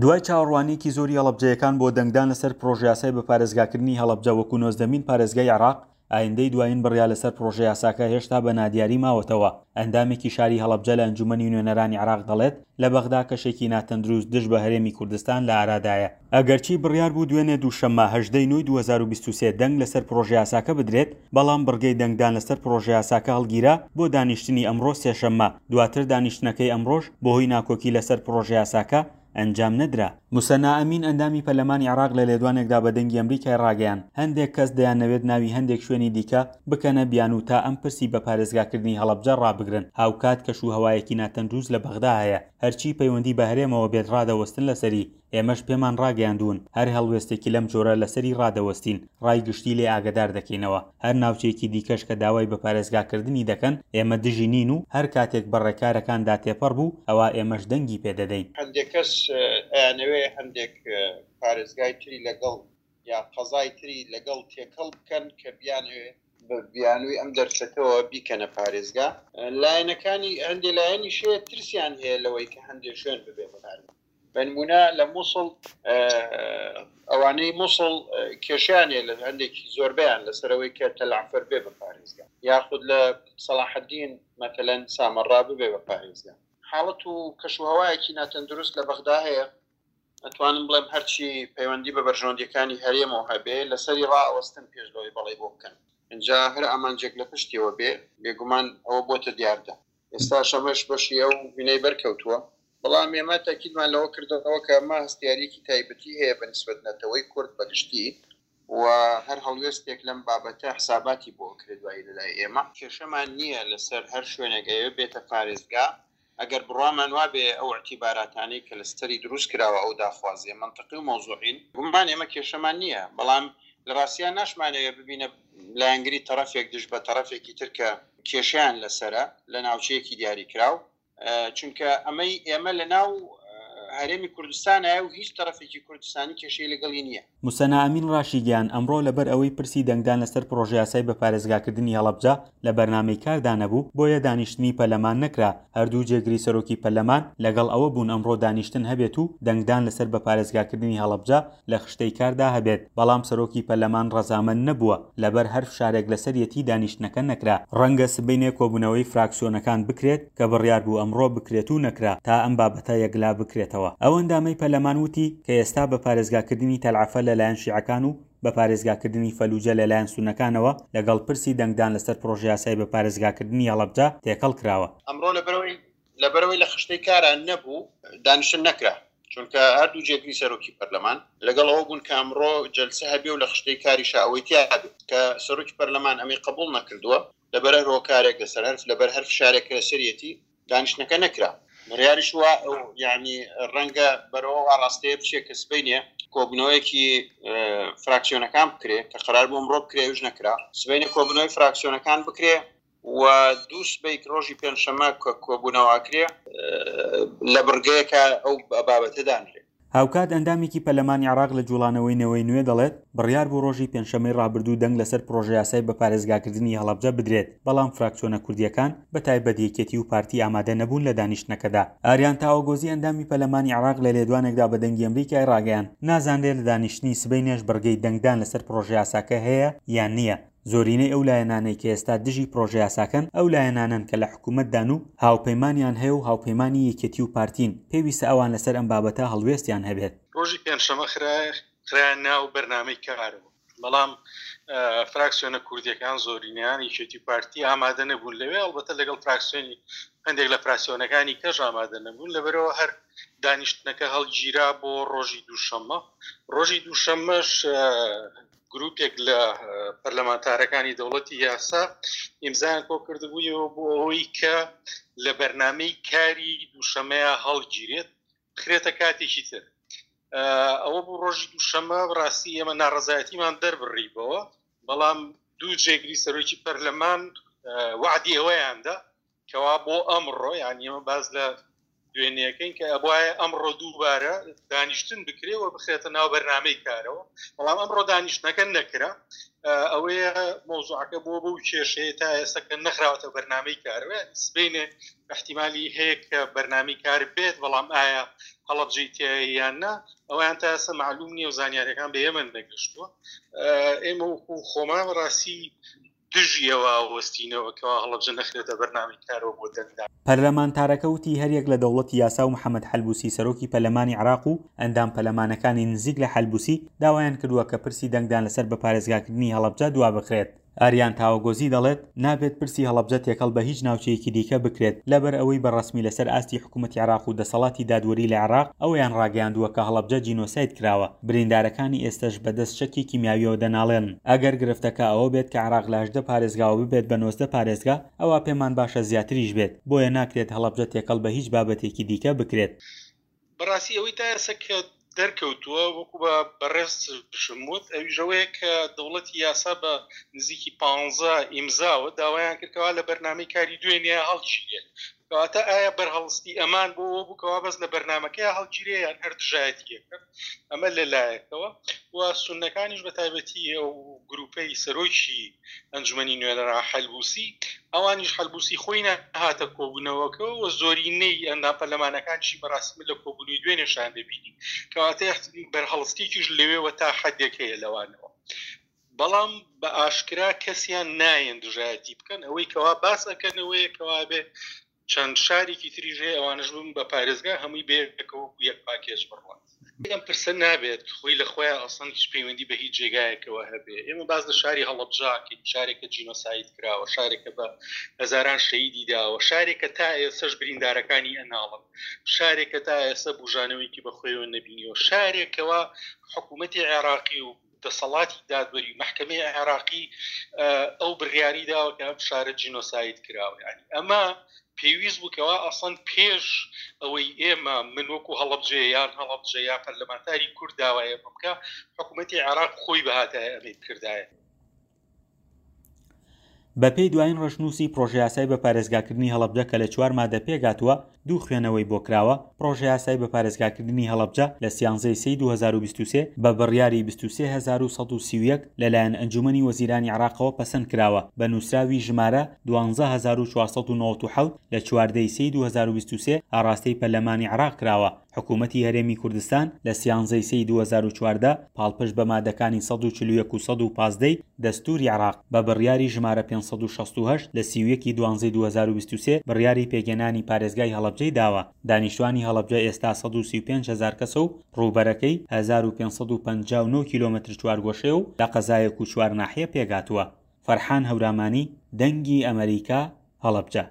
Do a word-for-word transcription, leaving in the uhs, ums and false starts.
دوای چاوەڕوانییەکی زۆری هەڵەبجەیەکان بۆ دەنگدان لەسەر پڕۆژەیاسای بەپارێزگاکردنی هەڵەبجە وەکو نۆزدەمین پارێزگای عێراق، ئایندەی دوایین بڕیار لەسەر پڕۆژەیاساکە هێشتا بە نادیاری ماوەتەوە. ئەندامێکی شاری هەڵەبجە لە ئەنجومەنی نوێنەرانی عێراق دەڵێت، لە بەغدا کەشێکی ناتەندروست دژ بە هەرێمی کوردستان لە ئارادایە. ئەگەرچی بڕیار بوو دوێنێ دووشەممە هەژدە ی نۆی دوو هەزار و بیست و سێ دەنگ لەسەر پڕۆژەیاساکە بدرێت، بەڵام بڕگەی دەنگدان لەسەر پڕۆژەیاساکە هەڵگیرا بۆ دانیشتنی ئەمڕۆ سێشەممە، دواتر دانیشتنەکەی ئەمڕۆش بەهۆی ناکۆکی لەسەر پڕۆژەیاساکە ئەنجام نەدرا. موسەننا ئەمین ئەندامی پەرلەمانی عێراق لە لێدوانێکدا بە دەنگی ئەمریکای ڕاگەیاند، هەندێک کەس دەیانەوێت ناوی هەندێک شوێنی دیکە بکەنە بیانوو تا ئەم پرسی بە پارێزگاکردنی هەڵەبجە ڕابگرن، هاوکات کەش و هەوایەکی ناتەندروست لە بەغدا هەیە، هەرچی پەیوەندی بە هەرێمەوە بێت ڕادەوەستن لەسەری، ئێمەش پێمان ڕاگەیاندوون هەر هەڵوێستێکی لەم جۆرە لەسەری ڕادەوەستین، ڕای گشتی لێ ئاگەدار دەکەینەوە، هەر ناوچەیەکی دیکەش کە داوای بە پارێزگاکردنی دەکەن ئێمە دژی نین و هەر کاتێک بە ڕێکارەکاندا تێپەڕ بوو ئەوا ئێمەش دەنگی پێ دەدەین. هەندێک کەس ئەیانەوێ هەندێک پارێزگای تری لەگەڵ یا قەزای تری لەگەڵ تێکەڵ بکەن کە بیانەوێ بە بیانووی ئەم دەرفەتەوە بیکەنە پارێزگا. لایەنەکانی هەندێ لایەنیش هەیە ترسیان هەیە لەوەی کە هەندێ شوێن ببێ بە پارێزگا. بە نموونە لە موسڵ ئەوانەی موسڵ کێشیان هەیە لە هەندێکی زۆربەیان لەسەرەوەی کە تەلعفەر بێ بە پارێزگا، یاخود لە سەڵاحەدین مەتەلەن سامەڕا ببێ بە پارێزگا. حاڵەت و کەش و هەوایەکی ناتەندروست لە بەغدا هەیە. ئەتوانم بڵێم هەرچی پەیوەندی بە بەرژەوەندیەکانی هەرێمەوە هەبێ لەسەری ڕائەوەستن پێش لەوەی بەڵێ بۆ بکەن. اینجا هەر ئامانجێک لە پشتیەوە بێ بێگومان ئەوە بۆتە دیاردە. ئێستاش ئەمەش بەشی ئەو بینەی بەرکەوتووە. بەڵام ئێمە تاکیدمان لەوە کردەوە کە ئەمە هەستیاریەکی تایبەتی هەیە بە نسبەت نەتەوەی کورد بەگشتی و هەر هەڵوێستێک لەم بابەتە حساباتی بۆ ئەکرێت دوایی لەلای ئێمە. کێشەمان نییە لەسەر هەر شوێنێک ئەیەوێ بێتە پارێزگا، ئەگەر بڕوامان وابێ ئەو اعتیباراتانەی کە لەسەری دروست کراوە ئەو داخوازیە مەنتقی و مەوزوعین، گومان ئێمە کێشەمان نییە، بەڵام لە ڕاستیا ناشمانەوێ ببینە لایەنگری تەڕەفێک دژ بە تەڕەفێکی تر کە کێشەیان لەسەرە لە ناوچەیەکی دیاریکراو، چونکە ئەمەی ئێمە لە ناو هەرێمی کوردستانایە و هیچ تەڕەفێکی کوردستانی کێشەی لەگەڵی نییە. موسەنا ئەمین ڕاشیگەیاند، ئەمڕۆ لەبەر ئەوەی پرسی دەنگدان لەسەر پڕۆژەیاسای بەپارێزگاکردنی هەڵەبجە لە بەرنامەی کاردا نەبوو، بۆیە دانیشتنی پەرلەمان نەکرا، هەردوو جێگری سەرۆکی پەرلەمان لەگەڵ ئەوە بوون ئەمڕۆ دانیشتن هەبێت و دەنگدان لەسەر بەپارێزگاکردنی هەڵەبجە لە خشتەی کاردا هەبێت، بەڵام سەرۆکی پەرلەمان ڕەزامەند نەبووە، لەبەر هەر فشارێک لەسەریەتی دانیشتنەکە نەکرا. ڕەنگە سبەینێ کۆبوونەوەی فراکسیۆنەکان بکرێت کە بڕیار بوو ئەمڕۆ بکرێت و نەکرا تا ئەم بابەتە یەکلا بکرێتەوە. ئەو ئەندامەی پەرلەمان وتی کە ئێستا بە پارێزگاکردنی تەلعەفەر لەلایەن شیعەکان و بە پارێزگاکردنی فەلوجە لەلایەن سوننەکانەوە لەگەڵ پرسی دەنگدان لەسەر پڕۆژەیاسای بە پارێزگاکردنی هەڵەبجە تێکەڵ کراوە. ئەمڕۆ لەبەرئەوەی لەبەرئەوەی لە خشتەی کارا نەبوو دانیشتن نەکرا، چونکە هەردوو جێگری سەرۆکی پەرلەمان لەگەڵ ئەوە بوون کە ئەمڕۆ جەلسە هەبێ و لە خشتەی کاریشا ئەوەی تیا بێ، کە سەرۆکی پەرلەمان ئەمەی قبوڵ نەکردووە لەبەر هەر هۆکارێک لەسەر هەر لەبەر هەر فشارێک کە لەسەریەتی دانیشتنەکە نەکرا. بڕیاریش وا یعنی ڕەنگە بەرەوە ئاڕاستەیە بچێ کە سبەینێ کۆبوونەوەیەکی فراکسیۆنەکان بکرێ کە قەرار بوو ئەمڕۆ بکرێ ئەویش نەکرا، سبەینێ کۆبوونەوەی فراکسیۆنەکان بکرێ و دوو سبەی ڕۆژی پێنجشەممە کە کۆبوونەوە ئەکرێ لە بڕگەیەکە ئەو بابەتە دانرێ. هاوکات ئەندامێکی پەرلەمانی عێراق لە جوڵانەوەی نەوەی نوێ دەڵێت، بڕیار بوو ڕۆژی پێنجشەممەی ڕابردوو دەنگ لەسەر پڕۆژەیاسای بەپارێزگاکردنی هەڵەبجە بدرێت، بەڵام فراکسیۆنە کوردییەکان بەتایبەت یەکێتی و پارتی ئامادە نەبوون لە دانیشتنەکەدا. ئاریان تاوەگۆزی ئەندامی پەرلەمانی عێراق لە لێدوانێکدا بە دەنگی ئەمریکای ڕاگەیاند، نازانرێت لە دانیشتنی سبەینێش بڕگەی دەنگدان لەسەر پڕۆژەیاساکە هەیە یان نییە. زۆرینەی ئەو لایەنانەی کە ئێستا دژی پڕۆژەیاساکەن ئەو لایەنانەن کە لە حکوومەتدان و هاوپەیمانیان هەیە و هاوپەیمانی یەکێتی و پارتین، پێویستە ئەوان لەسەر ئەم بابەتە هەڵوێستیان هەبێت. ڕۆژی پێنجشەممە خرایە ناو بەرنامەی کارەوە، بەڵام فراکسیۆنە کوردیەکان زۆرینەیان یەکێتی و پارتی ئامادە نەبوون لەوێ، ئەڵبەتە لەگەڵ فراکسیۆنی هەندێک لە فراکسیۆنەکانی کەش ئامادە نەبوون، لەبەرەوە هەر دانیشتنەکە هەڵگیرا بۆ ڕۆژی دووشەممە. ڕۆژی دووشەممەش گروپێک لە پەرلەمانتارەکانی دەوڵەتی یاسا ئیمزایان کۆ کردبوویەوە بۆ ئەوەی کە لە بەرنامەی کاری دووشەمەیە هەڵگیرێت بخرێتە کاتێکی تر. ئەوە بوو ڕۆژی دووشەممە. بەڕاستی ئێمە ناڕەزایەتیمان دەربڕیبەوە، بەڵام دوو جێگری سەرۆکی پەرلەمان وعدی ئەوەیاندا کەوا بۆ ئەمڕۆ، یعنی ئێمە باز لە دوێنێەکەین کە ئەبواە ئەمڕۆ دووبارە دانیشتن بکرێ و بخرێتە ناو بەرنامەی کارەوە، بەڵام ئەمڕۆ دانیشتنەکە نەکرا. ئەوەیە مەوزوعەکە بۆ بەو کێشەیە تا ئێستا کە نەخراوەتە بەرنامەی کارەوە. سبەینێ احتیمالی هەیە کە بەرنامەی کار بێت، بەڵام ئایا هەڵەبجەی تیایە یان نا ئەویان تا ئێستا معلوم نییە و زانیاریەکان بە ئێمە نەگەشتووە. ئێمە وەکو خۆمان بەڕاستی دژیەوە وەستینەوە کەوا هەڵەبجە نەخرێتە بەرنامەی کارەوە بۆ دەنگدان. پەرلەمانتارەکە وتی هەریەک لە دەوڵەتی یاسا و محەمەد حەلبوسی سەرۆکی پەرلەمانی عێراق و ئەندام پەرلەمانەکانی نزیک لە حەلبوسی داوایان کردووە کە پرسی دەنگدان لەسەر بەپارێزگاکردنی هەڵەبجە دوابخرێت. ئاریان تاوەگۆزی دەڵێت نابێت پرسی هەڵەبجە تێکەڵ بە هیچ ناوچەیەکی دیکە بکرێت، لەبەر ئەوەی بە ڕەسمی لەسەر ئاستی حکوومەتی عێراق و دەسەڵاتی دادوەری لە عێراق ئەوەیان ڕاگەیاندووە کە هەڵەبجە جینۆساید کراوە، بریندارەکانی ئێستەش بەدەست چەکی کیمیاویەوە دەناڵێنن. ئەگەر گرفتەکە ئەوە بێت کە عێراق لە هەژدە پارێزگاوە ببێت بە نۆزدە پارێزگا، ئەوا پێمان باشە زیاتریش بێت، بۆیە ناکرێت هەڵەبجە تێکەڵ بە هیچ بابەتێکی دیکە بکرێت. بەڕاستی ئەوەی تا ئێستا کە دەرکەوتووە وەکو بە بەڕێزشم وت، ئەویش ئەوەیە کە دەوڵەتی یاسا بە نزیکی پانزە ئیمزاوە داوایان کرد کەوا لە بەرنامەی کاری دوێنێ هەڵگیرێت. کەواتە ئایا بەرهەڵستی ئەمان بۆ ئەوە بوو کەوا بەس لە بەرنامەکەی هەڵگیرێ یان هەر دژایەتیە کرد؟ ئەمە لەلایەکەوە. و سوننەکانیش بە تایبەتی ئەو گروپەی سەرۆکی ئەنجومەنی نوێنەران حەلبوسی، ئەوانیش حەلبوسی خۆی نەهاتە کۆبوونەوەکە و زۆرینەی ئەندام پەرلەمانەکانیشی بەڕاستی من لە کۆبوونەوەی دوێنێشان دەبینی. کەواتە بەرهەڵستێکیش لەوێوە تا حەدێک هەیە لەوانەوە، بەڵام بە ئاشکرا کەسیان نایەن دژایەتی بکەن. ئەوەی کەوا باس ئەکەنەوەیە کەوا بێ چەند شارێکی تریش هەیە ئەوانش ببن بە پارێزگا، هەمووی بەیەکەوە وەکو یەک پاکێج بڕوات. ئەم پرسە نابێت خۆی لە خۆیان ئەسڵەن هیچ پەیوەندی بە هیچ جێگایەکەوە هەبێ. ئێمە باس لە شاری هەڵەبجاکەین، شارێکە جینۆساید کراوە، شارێکە بە هەزاران شەهیدی داوە، شارێکە تا ئێستاش بریندارەکانی ئەناڵن، شارێکە تا ئێستا بوژانەوەیەکی بە خۆیەوە نەبینیوە، شارێکەوە حکوومەتی عێراقی و دەسەڵاتی دادوەری و مەحکەمەی عێراقی ئەو بڕیاری داوە کە ئەم شارە جینۆساید کراوە. یعنی ئەمە پێویست بوو کەوا ئەسڵەن پێش ئەوەی ئێمە من وەکو هەڵەبجە یان هەڵەبجە یا پەرلەمانتاری کورد داوایە بکە، حکوومەتی عێراق خۆی بەهاتایە ئەمەی بکردایە. بەپێی دوایین ڕەشنووسی پرۆژەیاسای بە پارێزگاکردنی هەڵەبجە کە لە چوار مادە پێگاتووە دوو خوێنەوەی بۆ کراوە. پرۆژەیاسای بە پارێزگاکردنی هەڵەبجە لە سیانزەی سێی دوو هەزار و بیست و سێ بە بڕیاری بیست و سێ هەزار و سەد و سی و یەک لەلایەن ئەنجومەنی وەزیرانی عێراقەوە پەسەند کراوە بە نووسراوی ژمارە دوانزە هەزار و چوار سەد و نەوەد و حەوت لە چواردەی سێی دوو هەزار و بیست و سێ ئاراستەی پەرلەمانی عێراق کراوە. حکوومەتی هەرێمی کوردستان لە سیانزەی سێی دوو هەزار و چواردە پاڵپشت بە مادەکانی سەد و چل و یەک و سەد و پازدەی دەستوری عێراق بە بڕیاری ژمارە پێنج سەد و شەست و هەشت لە سی و یەکی دوانزەی دوو هەزار و بیست و سێ بڕیاری پێکهێنانی پارێزگای هەڵەبجەی داوە. دانیشتوانی هەڵەبجە ئێستا سەد و سی و پێنج هەزار کەسە و ڕووبەرەکەی هەزار و پێنج سەد و پەنجا و نۆ کیلۆمەتر چوارگۆشەیە و لە قەزایەک و چوار ناحیە پێکهاتووە. فەرحان هەورامانی، دەنگی ئەمەریکا، هەڵەبجە.